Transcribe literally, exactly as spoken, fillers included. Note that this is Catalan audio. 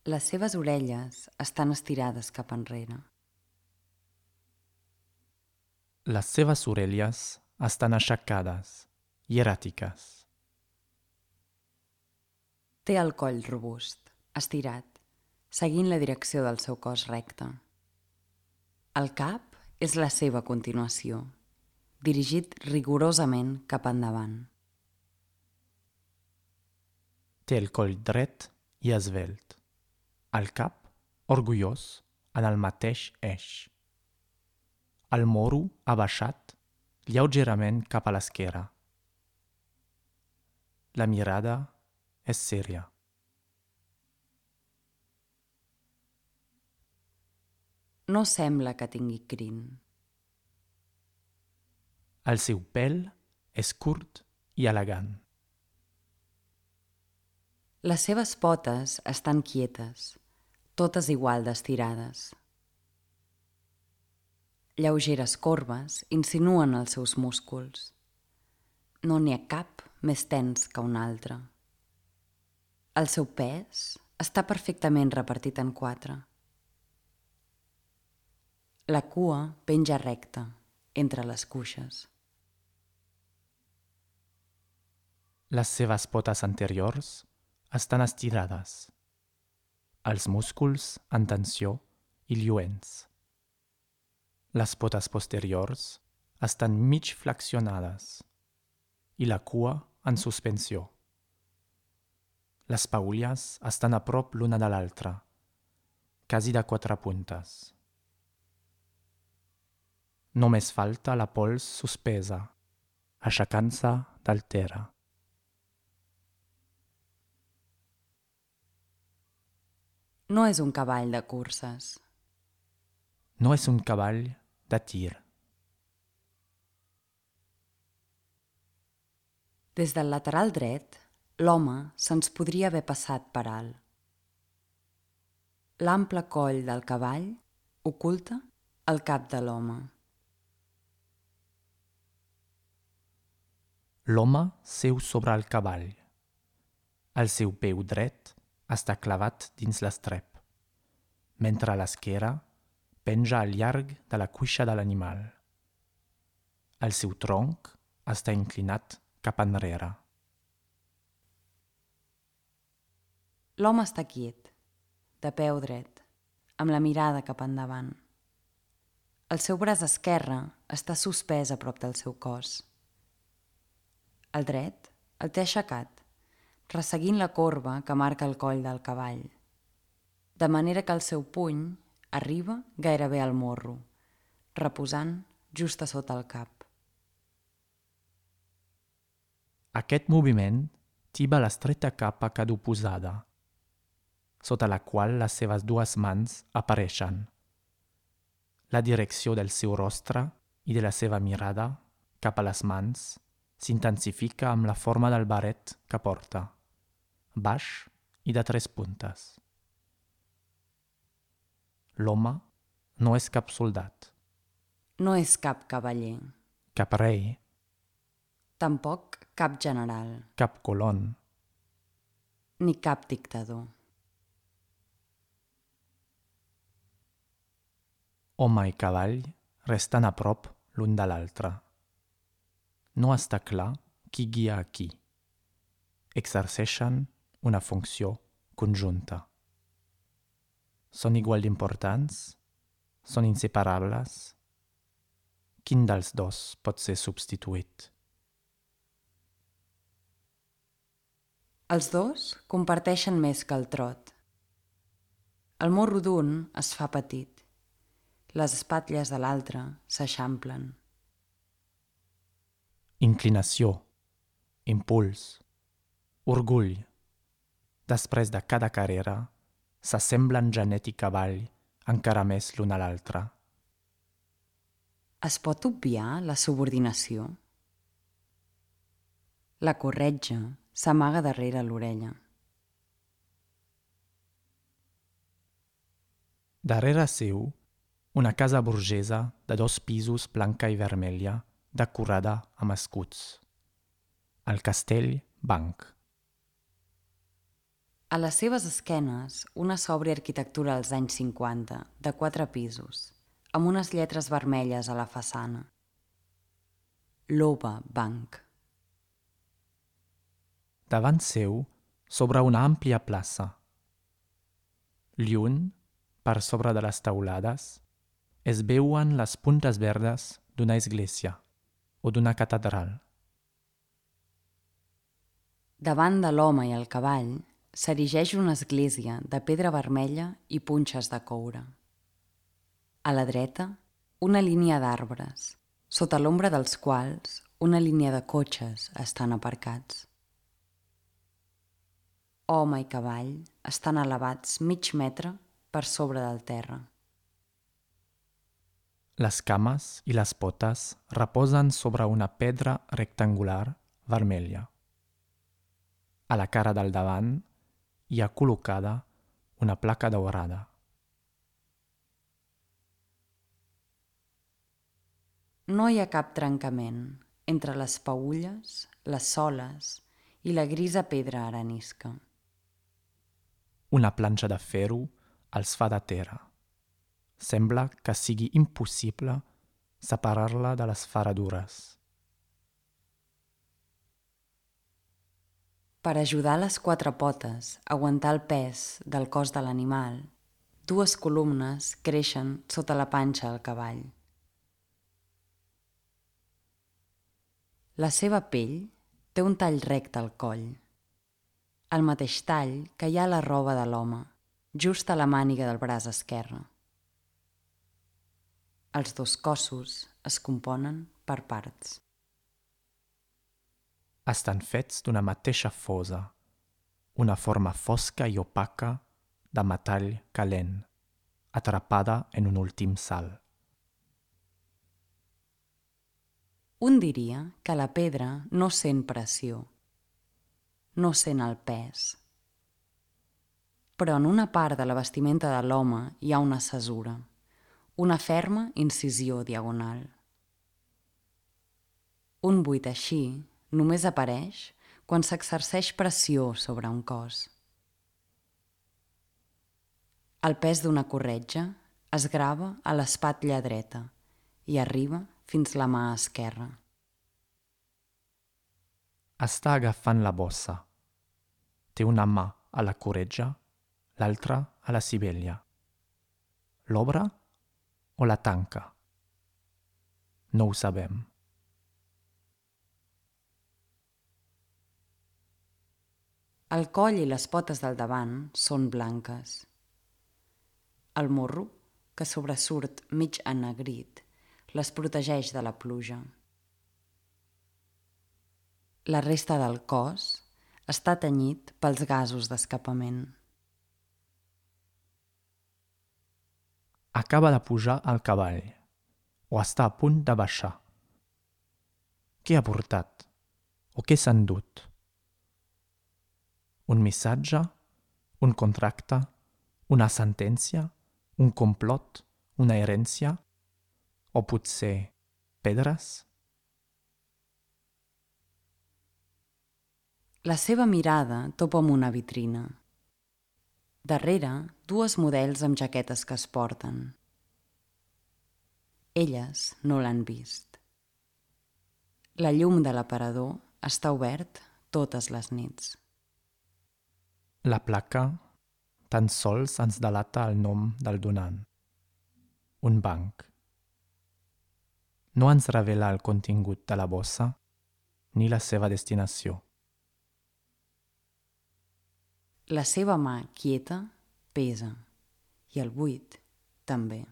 Les seves orelles estan estirades cap enrere. Les seves orelles estan aixecades, hieràtiques. Té el coll robust, estirat, seguint la direcció del seu cos recte. El cap és la seva continuació, dirigit rigorosament cap endavant. Té el coll dret i esvelt. El cap, orgullós, en el mateix eix. El morro abaixat, lleugerament cap a l'esquerra. La mirada és sèria. No sembla que tingui crin. El seu pèl és curt i elegant. Les seves potes estan quietes, totes igual d'estirades. Lleugeres corbes insinuen els seus músculs. No n'hi ha cap més tens que un altre. El seu pes està perfectament repartit en quatre. La cua penja recta, entre les cuixes. Les seves potes anteriors estan estirades. Els músculs en tensió i lluents. Les potes posteriors estan mig flexionades i la cua en suspensió. Les paulles estan a prop l'una de l'altra, quasi de quatre puntes. Només falta la pols suspesa, aixecant-se del terra. No és un cavall de curses. No és un cavall de tir. Des del lateral dret, l'home se'ns podria haver passat per alt. L'ample coll del cavall oculta el cap de l'home. L'home seu sobre el cavall. El seu peu dret està clavat dins l'estrep, mentre l'esquerra penja al llarg de la cuixa de l'animal. El seu tronc està inclinat cap enrere. L'home està quiet, de peu dret, amb la mirada cap endavant. El seu braç esquerre està suspès a prop del seu cos. El dret el té aixecat, resseguint la corba que marca el coll del cavall, de manera que el seu puny arriba gairebé al morro, reposant just a sota el cap. Aquest moviment tiba l'estreta capa caduposada, sota la qual les seves dues mans apareixen. La direcció del seu rostre i de la seva mirada cap a les mans s'intensifica amb la forma del barret que porta, baix i de tres puntes. L'home no és cap soldat. No és cap cavaller. Cap rei. Tampoc cap general. Cap colon. Ni cap dictador. Home i cavall resten a prop l'un de l'altre. No està clar qui guia a qui. Exerceixen una funció conjunta. Són igual d'importants? Són inseparables? Quin dels dos pot ser substituït? Els dos comparteixen més que el trot. El morro d'un es fa petit. Les espatlles de l'altre s'eixamplen. Inclinació, impuls, orgull. Després de cada carrera, s'assemblen genet i cavall encara més l'un a l'altre. Es pot obviar la subordinació? La corretja s'amaga darrere l'orella. Darrere seu, una casa burgesa de dos pisos blanca i vermella, decorada amb escuts. El castell Banc. A les seves esquenes, una sòbria arquitectura dels anys cinquanta, de quatre pisos, amb unes lletres vermelles a la façana. Loba Bank. Davant seu s'obre una àmplia plaça. Lluny, per sobre de les teulades, es veuen les puntes verdes d'una església o d'una catedral. Davant de l'home i el cavall s'erigeix una església de pedra vermella i punxes de coure. A la dreta, una línia d'arbres, sota l'ombra dels quals una línia de cotxes estan aparcats. Home i cavall estan elevats mig metre per sobre del terra. Les cames i les potes reposen sobre una pedra rectangular vermella. A la cara del davant hi ha col·locada una placa daurada. No hi ha cap trencament entre les peülles, les soles i la grisa pedra arenisca. Una planxa de ferro els fa de terra. Sembla que sigui impossible separar-la de les ferradures. Per ajudar les quatre potes a aguantar el pes del cos de l'animal, dues columnes creixen sota la panxa del cavall. La seva pell té un tall recte al coll, el mateix tall que hi ha a la roba de l'home, just a la màniga del braç esquerre. Els dos cossos es componen per parts. Estan fets d'una mateixa fosa, una forma fosca i opaca de metall calent, atrapada en un últim salt. Un diria que la pedra no sent pressió, no sent el pes. Però en una part de la vestimenta de l'home hi ha una cesura, una ferma incisió diagonal. Un buit així només apareix quan s'exerceix pressió sobre un cos. El pes d'una corretja es grava a l'espatlla dreta i arriba fins la mà esquerra. Està agafant la bossa. Té una mà a la corretja, l'altra a la sivella. L'obre o la tanca? No ho sabem. El coll i les potes del davant són blanques. El morro, que sobresurt mig ennegrit, les protegeix de la pluja. La resta del cos està tenyit pels gasos d'escapament. Acaba de pujar al cavall, o està a punt de baixar. Què ha portat? O què s'ha endut? Un missatge? Un contracte? Una sentència? Un complot? Una herència? O potser pedres? La seva mirada topa amb una vitrina. Darrere, dues models amb jaquetes que es porten. Elles no l'han vist. La llum de l'aparador està obert totes les nits. La placa tan sols ens delata el nom del donant. Un banc. No ens revela el contingut de la bossa ni la seva destinació. La seva mà quieta pesa i el buit també.